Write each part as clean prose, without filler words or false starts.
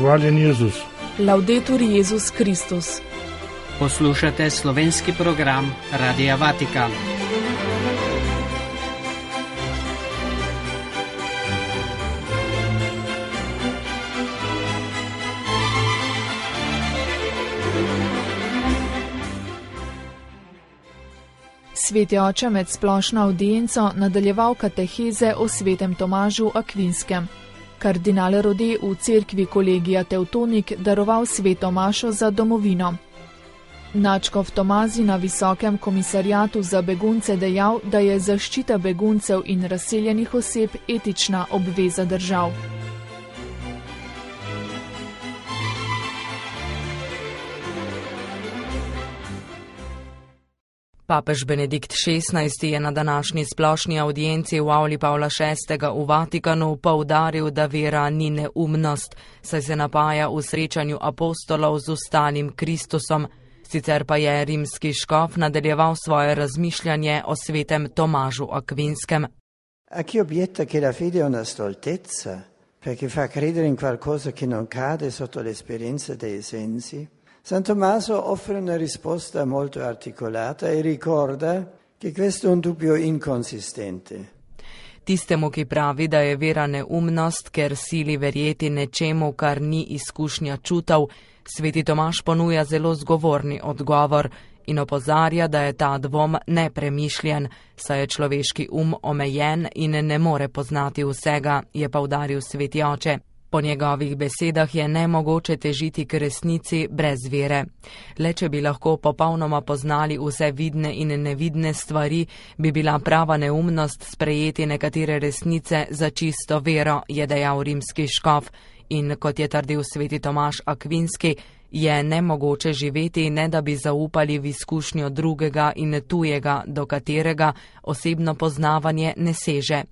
Hvaljen Jezus. Laudetur Jezus Kristus. Poslušate slovenski program Radia Vatikan. Sveti oče med splošno avdienco nadaljeval kateheze o svetem Tomažu Akvinskem. Kardinal Rode v cerkvi Kolegija Tevtonik daroval sveto mašo za domovino. Nadškof Tomazi na Visokem komisariatu za begunce dejal, da je zaščita beguncev in razseljenih oseb etična obveza držav. Papež Benedikt XVI je na današnji splošni avdienci v avli Pavla VI. V Vatikanu poudaril, da vera ni neumnost, saj se napaja v srečanju apostolov z ostalim Kristusom. Sicer pa je rimski škof nadaljeval svoje razmišljanje o svetem Tomažu Akvinskem. A chi obietta che la fede è una stoltezza, perché fa credere in qualcosa che non cade sotto l'esperienza dei sensi, San Tommaso offre una risposta molto articolata e ricorda che questo è un dubbio inconsistente. Tistemu, ki pravi, da je vera neumnost, ker sili verjeti nečemu, kar ni izkušnja čutov, sveti Tomaž ponuja zelo zgovorni odgovor in opozarja, da je ta dvom nepremišljen, saj je človeški omejen in ne more poznati vsega, je poudaril sveti oče. Po njegovih besedah je nemogoče težiti k resnici brez vere. Le če bi lahko popolnoma poznali vse vidne in nevidne stvari, bi bila prava neumnost sprejeti nekatere resnice za čisto vero, je dejal rimski škof. In kot je trdil sveti Tomaž Akvinski, je nemogoče živeti, ne da bi zaupali v izkušnjo drugega in tujega, do katerega osebno poznavanje ne seže.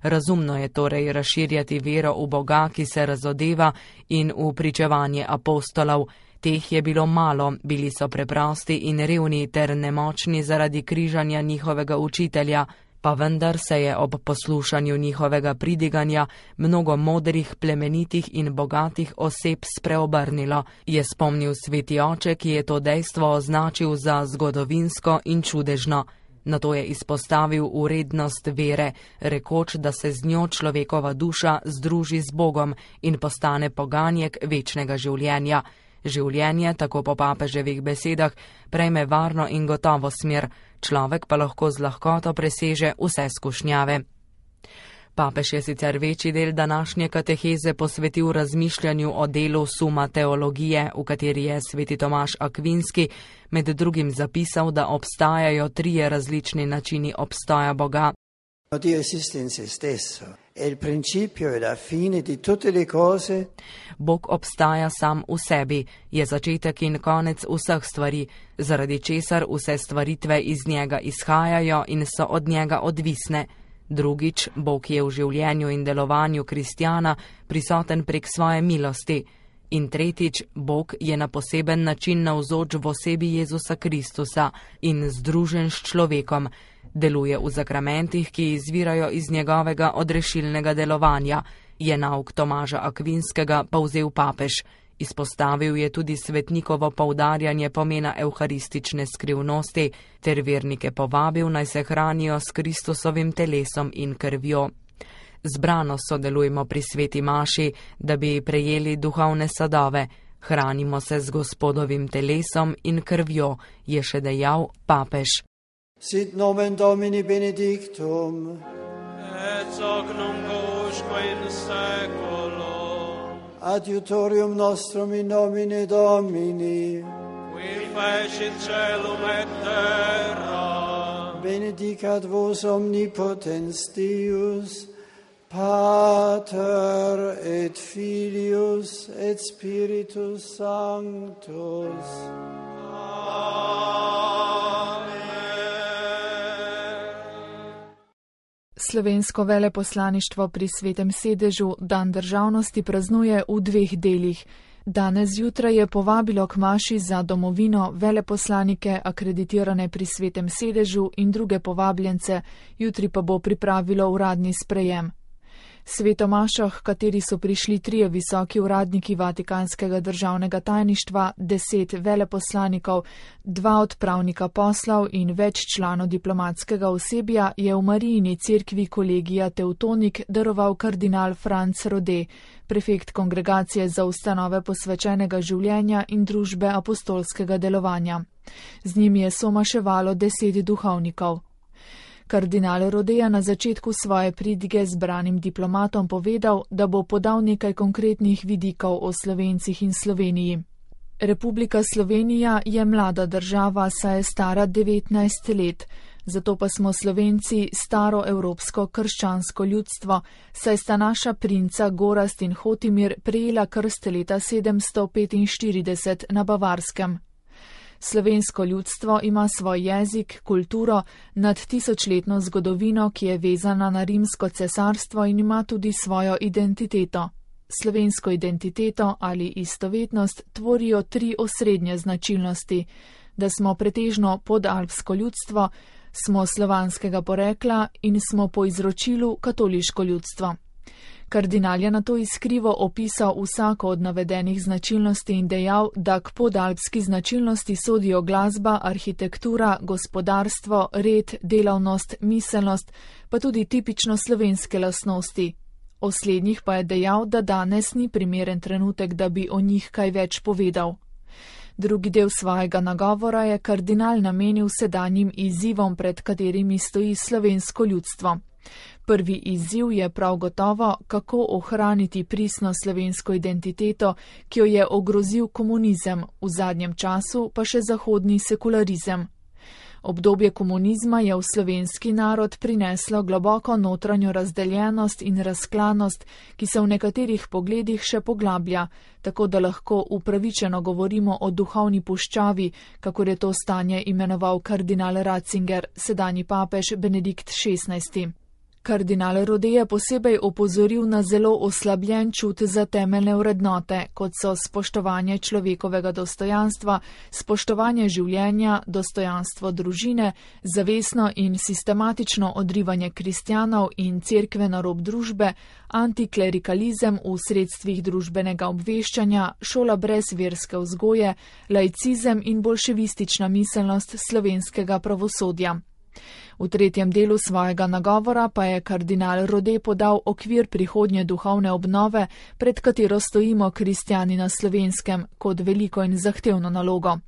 Razumno je torej razširjati vero v Boga, ki se razodeva, in v pričevanje apostolov. Teh je bilo malo, bili so preprosti in revni ter nemočni zaradi križanja njihovega učitelja, pa vendar se je ob poslušanju njihovega pridiganja mnogo modrih, plemenitih in bogatih oseb spreobrnilo, je spomnil sveti oče, ki je to dejstvo označil za zgodovinsko in čudežno. Nato je izpostavil vrednost vere, rekoč, da se z njo človekova duša združi z Bogom in postane poganjek večnega življenja. Življenje, tako po papeževih besedah, prejme varno in gotovo smer, človek pa lahko z lahkoto preseže vse skušnjave. Papež je sicer večji del današnje kateheze posvetil razmišljanju o delu Summa Theologiae, v kateri je sveti Tomaž Akvinski med drugim zapisal, da obstajajo trije različni načini obstoja Boga. Dio esiste in se stesso, è il principio e la fine di tutte le cose. Bog obstaja sam v sebi, je začetek in konec vseh stvari, zaradi česar vse stvaritve iz njega izhajajo in so od njega odvisne. Drugič, Bog je v življenju in delovanju kristjana prisoten prek svoje milosti. In tretjič, Bog je na poseben način navzoč v osebi Jezusa Kristusa in združen s človekom. Deluje v zakramentih, ki izvirajo iz njegovega odrešilnega delovanja, je nauk Tomaža Akvinskega povzel papež. Izpostavil je tudi svetnikovo poudarjanje pomena evharistične skrivnosti ter vernike povabil, naj se hranijo s Kristusovim telesom in krvjo. Zbrano sodelujmo pri sveti maši, da bi prejeli duhovne sadove. Hranimo se z Gospodovim telesom in krvjo, je še dejal papež. Sit nomen Domini benedictum, et hoc nunc usque in saeculo, adiutorium nostrum in nomine Domini, qui fecit caelum et terra, benedicat vos omnipotens Deus, Pater et Filius et Spiritus Sanctus. Slovensko veleposlaništvo pri Svetem sedežu dan državnosti praznuje v dveh delih. Danes zjutraj je povabilo k maši za domovino veleposlanike akreditirane pri Svetem sedežu in druge povabljence, jutri pa bo pripravilo uradni sprejem. Svetomašo, h kateri so prišli 3 visoki uradniki Vatikanskega državnega tajništva, 10 veleposlanikov, 2 odpravnika poslov in več članov diplomatskega osebja, je v Marijini cerkvi Kolegija Teutonik daroval kardinal Franc Rode, prefekt Kongregacije za ustanove posvečenega življenja in družbe apostolskega delovanja. Z njimi je somaševalo 10 duhovnikov. Kardinal Rode je na začetku svoje pridige zbranim diplomatom povedal, da bo podal nekaj konkretnih vidikov o Slovencih in Sloveniji. Republika Slovenija je mlada država, saj je stara 19 let, zato pa smo Slovenci staro evropsko krščansko ljudstvo, saj sta naša princa Gorazd in Hotimir prejela krst leta 745 na Bavarskem. Slovensko ljudstvo ima svoj jezik, kulturo, nad 1000-letno zgodovino, ki je vezana na Rimsko cesarstvo in ima tudi svojo identiteto. Slovensko identiteto ali istovetnost tvorijo 3 osrednje značilnosti, da smo pretežno podalpsko ljudstvo, smo slovanskega porekla in smo po izročilu katoliško ljudstvo. Kardinal je nato iskrivo opisal vsako od navedenih značilnosti in dejal, da k podalpski značilnosti sodijo glasba, arhitektura, gospodarstvo, red, delavnost, miselnost, pa tudi tipično slovenske lastnosti. O slednjih pa je dejal, da danes ni primeren trenutek, da bi o njih kaj več povedal. Drugi del svojega nagovora je kardinal namenil sedanjim izzivom, pred katerimi stoji slovensko ljudstvo. Prvi izziv je prav gotovo, kako ohraniti pristno slovensko identiteto, ki jo je ogrozil komunizem, v zadnjem času pa še zahodni sekularizem. Obdobje komunizma je v slovenski narod prineslo globoko notranjo razdeljenost in razklanost, ki se v nekaterih pogledih še poglablja, tako da lahko upravičeno govorimo o duhovni puščavi, kakor je to stanje imenoval kardinal Ratzinger, sedanji papež Benedikt XVI. Kardinal Rode je posebej opozoril na zelo oslabljen čut za temeljne vrednote, kot so spoštovanje človekovega dostojanstva, spoštovanje življenja, dostojanstvo družine, zavestno in sistematično odrivanje kristjanov in cerkve na rob družbe, antiklerikalizem v sredstvih družbenega obveščanja, šola brez verske vzgoje, laicizem in bolševistična miselnost slovenskega pravosodja. V tretjem delu svojega nagovora pa je kardinal Rode podal okvir prihodnje duhovne obnove, pred katero stojimo kristjani na Slovenskem, kot veliko in zahtevno nalogo.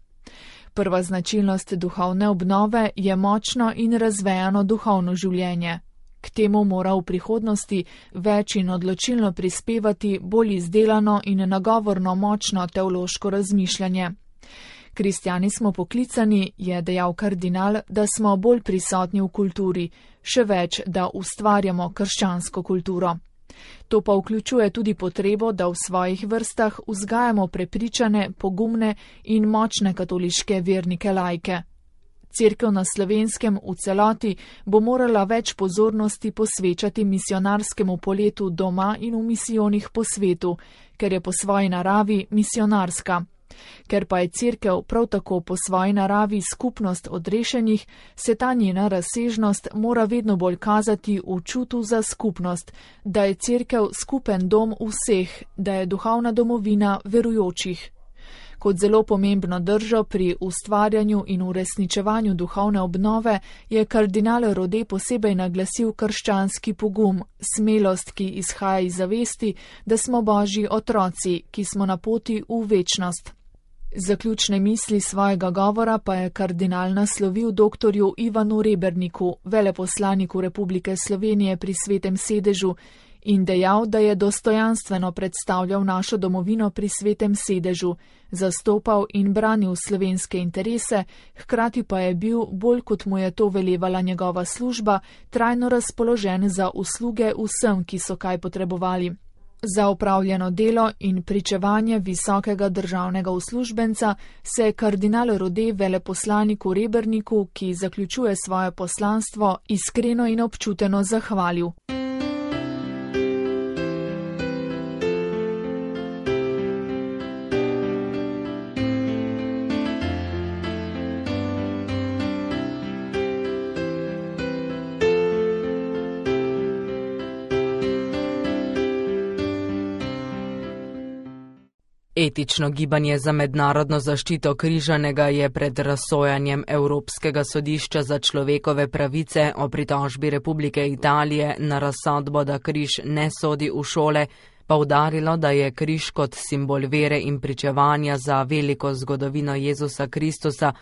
Prva značilnost duhovne obnove je močno in razvejano duhovno življenje. K temu mora v prihodnosti več in odločilno prispevati bolj izdelano in nagovorno močno teološko razmišljanje. Kristjani smo poklicani, je dejal kardinal, da smo bolj prisotni v kulturi, še več, da ustvarjamo krščansko kulturo. To pa vključuje tudi potrebo, da v svojih vrstah vzgajamo prepričane, pogumne in močne katoliške vernike laike. Cerkev na Slovenskem v celoti bo morala več pozornosti posvečati misionarskemu poletu doma in v misijonih po svetu, ker je po svoji naravi misionarska. Ker pa je cerkev prav tako po svoji naravi skupnost odrešenih, se ta njena razsežnost mora vedno bolj kazati v čutu za skupnost, da je cerkev skupen dom vseh, da je duhovna domovina verujočih. Kot zelo pomembno držo pri ustvarjanju in uresničevanju duhovne obnove je kardinal Rode posebej naglasil krščanski pogum, smelost, ki izhaja iz zavesti, da smo Božji otroci, ki smo na poti v večnost. Zaključne misli svojega govora pa je kardinal naslovil doktorju Ivanu Reberniku, veleposlaniku Republike Slovenije pri Svetem sedežu, in dejal, da je dostojanstveno predstavljal našo domovino pri Svetem sedežu, zastopal in branil slovenske interese, hkrati pa je bil, bolj kot mu je to velevala njegova služba, trajno razpoložen za usluge vsem, ki so kaj potrebovali. Za opravljeno delo in pričevanje visokega državnega uslužbenca se je kardinal Rode veleposlaniku Reberniku, ki zaključuje svoje poslanstvo, iskreno in občuteno zahvalil. Etično gibanje za mednarodno zaščito križanega je pred razsojanjem Evropskega sodišča za človekove pravice o pritožbi Republike Italije na razsodbo, da križ ne sodi v šole, poudarilo, da je križ kot simbol vere in pričevanja za veliko zgodovino Jezusa Kristusa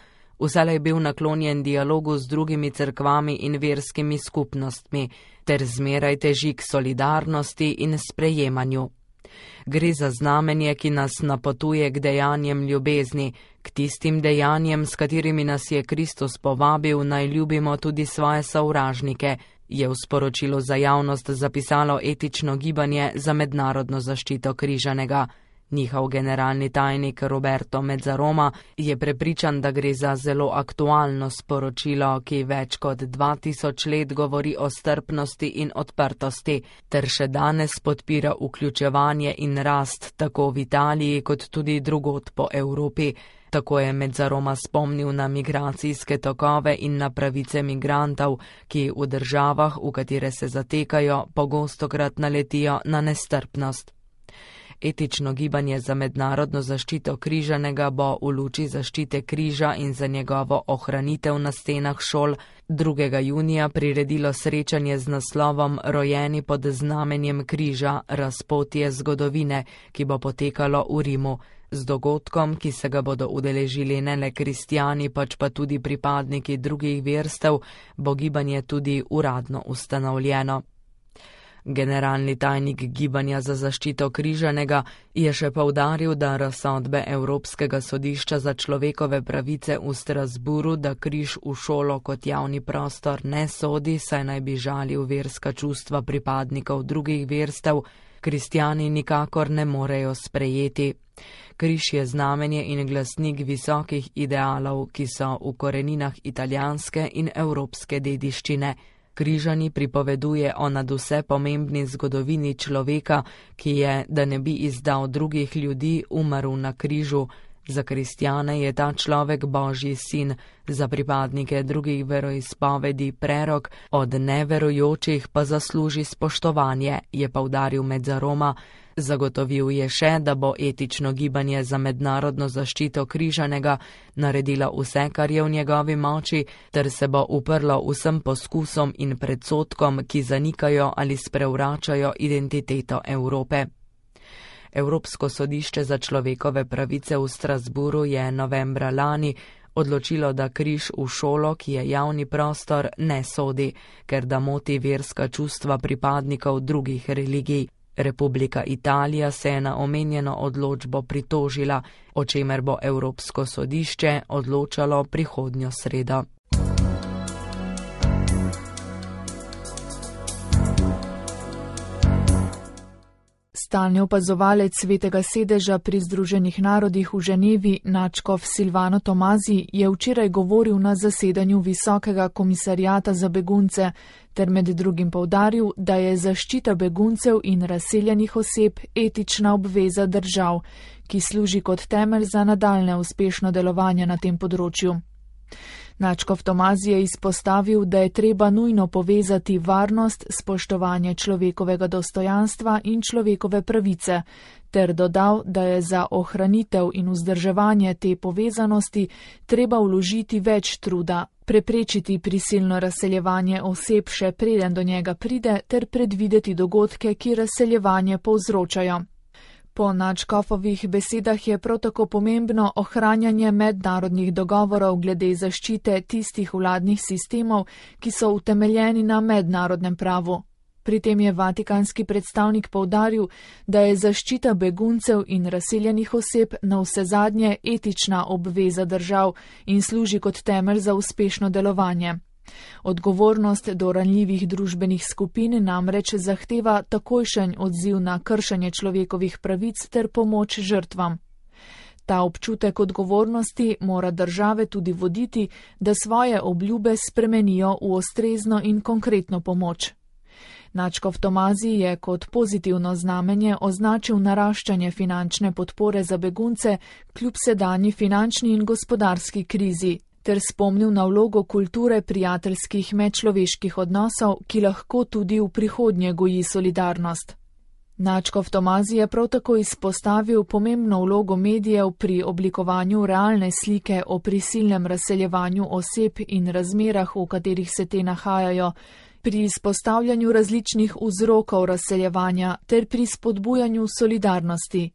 vselej bil naklonjen dialogu z drugimi cerkvami in verskimi skupnostmi, ter zmeraj teži k solidarnosti in sprejemanju. Gre za znamenje, ki nas napotuje k dejanjem ljubezni, k tistim dejanjem, s katerimi nas je Kristus povabil, naj ljubimo tudi svoje sovražnike, je v sporočilu za javnost zapisalo etično gibanje za mednarodno zaščito križanega. Njihov generalni tajnik Roberto Mezzaroma je prepričan, da gre za zelo aktualno sporočilo, ki več kot 2000 let govori o strpnosti in odprtosti, ter še danes podpira vključevanje in rast tako v Italiji kot tudi drugod po Evropi. Tako je Mezzaroma spomnil na migracijske tokove in na pravice migrantov, ki v državah, v katere se zatekajo, pogostokrat naletijo na nestrpnost. Etično gibanje za mednarodno zaščito križanega bo v luči zaščite križa in za njegovo ohranitev na stenah šol 2. junija priredilo srečanje z naslovom Rojeni pod znamenjem križa, razpotje zgodovine, ki bo potekalo v Rimu. Z dogodkom, ki se ga bodo udeležili ne le kristjani, pač pa tudi pripadniki drugih verstev, bo gibanje tudi uradno ustanovljeno. Generalni tajnik Gibanja za zaščito križanega je še poudaril, da razsodbe Evropskega sodišča za človekove pravice v Strasburu, da križ v šolo kot javni prostor ne sodi, saj naj bi žalil verska čustva pripadnikov drugih verstev, kristjani nikakor ne morejo sprejeti. Križ je znamenje in glasnik visokih idealov, ki so v koreninah italijanske in evropske dediščine. Križani pripoveduje o nadvse pomembni zgodovini človeka, ki je, da ne bi izdal drugih ljudi, umrl na križu. Za kristjane je ta človek Božji sin, za pripadnike drugih veroizpovedi prerok, od neverujočih pa zasluži spoštovanje, je poudaril Mezzaroma. Zagotovil je še, da bo etično gibanje za mednarodno zaščito križanega naredilo vse, kar je v njegovi moči, ter se bo uprlo vsem poskusom in predsodkom, ki zanikajo ali sprevračajo identiteto Evrope. Evropsko sodišče za človekove pravice v Strasburu je novembra lani odločilo, da križ v šolo, ki je javni prostor, ne sodi, ker da moti verska čustva pripadnikov drugih religij. Republika Italija se je na omenjeno odločbo pritožila, o čemer bo Evropsko sodišče odločalo prihodnjo sredo. Stalni opazovalec Svetega sedeža pri Združenih narodih v Ženevi, nadškof Silvano Tomazi, je včeraj govoril na zasedanju Visokega komisariata za begunce, ter med drugim poudaril, da je zaščita beguncev in razseljenih oseb etična obveza držav, ki služi kot temelj za nadaljne uspešno delovanje na tem področju. Nadškof Tomazi je izpostavil, da je treba nujno povezati varnost, spoštovanje človekovega dostojanstva in človekove pravice, ter dodal, da je za ohranitev in vzdrževanje te povezanosti treba vložiti več truda, preprečiti prisilno razseljevanje oseb še preden do njega pride, ter predvideti dogodke, ki razseljevanje povzročajo. Po nadškofovih besedah je prav tako pomembno ohranjanje mednarodnih dogovorov glede zaščite tistih vladnih sistemov, ki so utemeljeni na mednarodnem pravu. Pri tem je vatikanski predstavnik poudaril, da je zaščita beguncev in razseljenih oseb navsezadnje etična obveza držav in služi kot temelj za uspešno delovanje. Odgovornost do ranljivih družbenih skupin namreč zahteva takojšen odziv na kršenje človekovih pravic ter pomoč žrtvam. Ta občutek odgovornosti mora države tudi voditi, da svoje obljube spremenijo v ustrezno in konkretno pomoč. Nadškof Tomazi je kot pozitivno znamenje označil naraščanje finančne podpore za begunce kljub sedanji finančni in gospodarski krizi, ter spomnil na vlogo kulture prijateljskih medčloveških odnosov, ki lahko tudi v prihodnje goji solidarnost. Nadškof Tomazij je prav tako izpostavil pomembno vlogo medijev pri oblikovanju realne slike o prisilnem razseljevanju oseb in razmerah, v katerih se te nahajajo, pri izpostavljanju različnih vzrokov razseljevanja ter pri spodbujanju solidarnosti.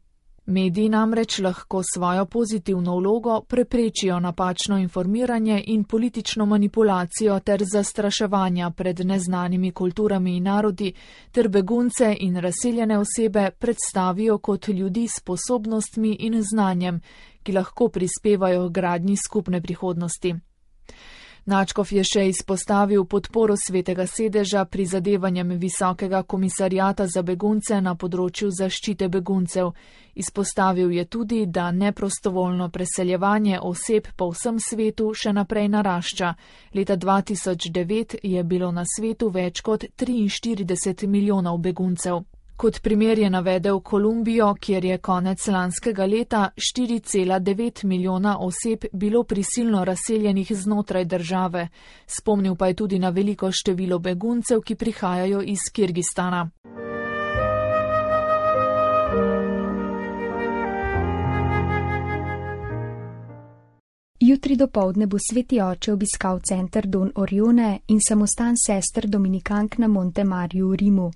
Mediji namreč lahko svojo pozitivno vlogo preprečijo napačno informiranje in politično manipulacijo ter zastraševanja pred neznanimi kulturami in narodi ter begunce in razseljene osebe predstavijo kot ljudi s sposobnostmi in znanjem, ki lahko prispevajo k gradnji skupne prihodnosti. Nadškof je še izpostavil podporo Svetega sedeža prizadevanjem Visokega komisarjata za begunce na področju zaščite beguncev. Izpostavil je tudi, da neprostovoljno preseljevanje oseb po vsem svetu še naprej narašča. Leta 2009 je bilo na svetu več kot 43 milijonov beguncev. Kot primer je navedel Kolumbijo, kjer je konec lanskega leta 4,9 milijona oseb bilo prisilno razseljenih znotraj države. Spomnil pa je tudi na veliko število beguncev, ki prihajajo iz Kirgistana. Jutri dopoldne bo Sveti oče obiskal center Don Orione in samostan sester dominikank na Monte Mariju v Rimu.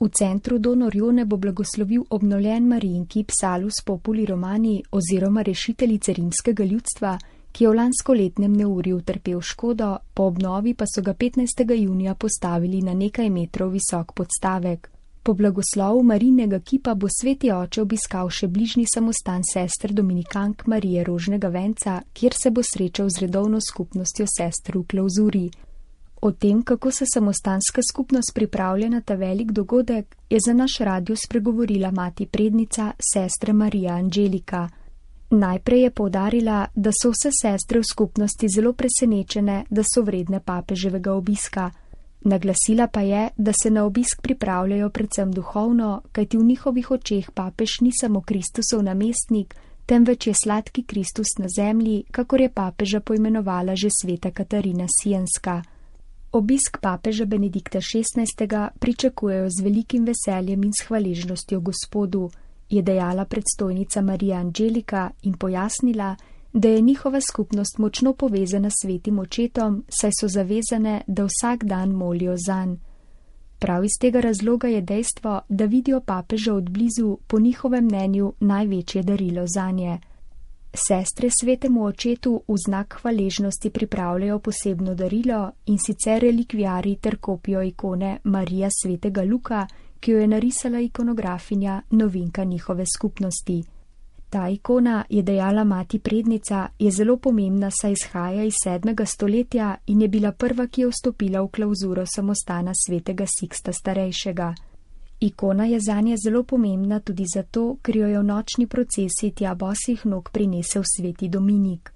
V centru Don Orione bo blagoslovil obnovljen Marijin kip Salus Populi Romani oziroma rešiteljice rimskega ljudstva, ki je v lanskoletnem neurju utrpel škodo, po obnovi pa so ga 15. junija postavili na nekaj metrov visok podstavek. Po blagoslovu Marijinega kipa bo Sveti oče obiskal še bližnji samostan sester dominikank Marije Rožnega venca, kjer se bo srečal z redovno skupnostjo sester v klauzuri. O tem, kako se samostanska skupnost pripravlja na ta velik dogodek, je za naš radio spregovorila mati prednica, sestra Marija Angelika. Najprej je poudarila, da so vse sestre v skupnosti zelo presenečene, da so vredne papeževega obiska. Naglasila pa je, da se na obisk pripravljajo predvsem duhovno, kajti v njihovih očeh papež ni samo Kristusov namestnik, temveč je sladki Kristus na zemlji, kakor je papeža poimenovala že sveta Katarina Sienska. Obisk papeža Benedikta XVI. Pričakujejo z velikim veseljem in s hvaležnostjo Gospodu, je dejala predstojnica Marija Angelika in pojasnila, da je njihova skupnost močno povezana s svetim očetom, saj so zavezane, da vsak dan molijo zanj. Prav iz tega razloga je dejstvo, da vidijo papeža od blizu, po njihovem mnenju največje darilo zanje. Sestre svetemu očetu v znak hvaležnosti pripravljajo posebno darilo, in sicer relikviarij ter kopijo ikone Marija svetega Luka, ki jo je narisala ikonografinja, novinka njihove skupnosti. Ta ikona, je dejala mati prednica, je zelo pomembna, saj izhaja iz 7. stoletja in je bila prva, ki je vstopila v klauzuro samostana svetega Siksta starejšega. Ikona je zanje zelo pomembna tudi zato, ker jo je v nočni procesiji tja bosih nog prinesel sveti Dominik.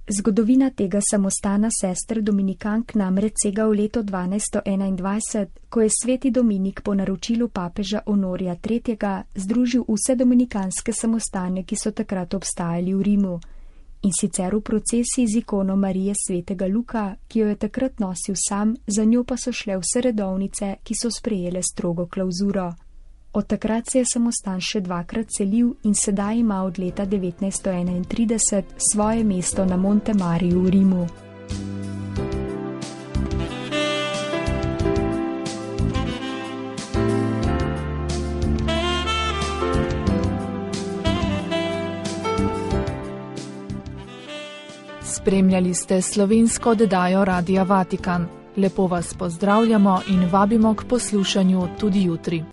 Zgodovina tega samostana sester dominikank namreč sega v leto 1221, ko je sveti Dominik po naročilu papeža Honorija III. Združil vse dominikanske samostane, ki so takrat obstajali v Rimu. In sicer v procesiji z ikono Marije svetega Luka, ki jo je takrat nosil sam, za njo pa so šle vse redovnice, ki so sprejele strogo klauzuro. Od takrat se je samostan še dvakrat selil in sedaj ima od leta 1931 svoje mesto na Monte Mariju v Rimu. Spremljali ste slovensko oddajo Radia Vatikan. Lepo vas pozdravljamo in vabimo k poslušanju tudi jutri.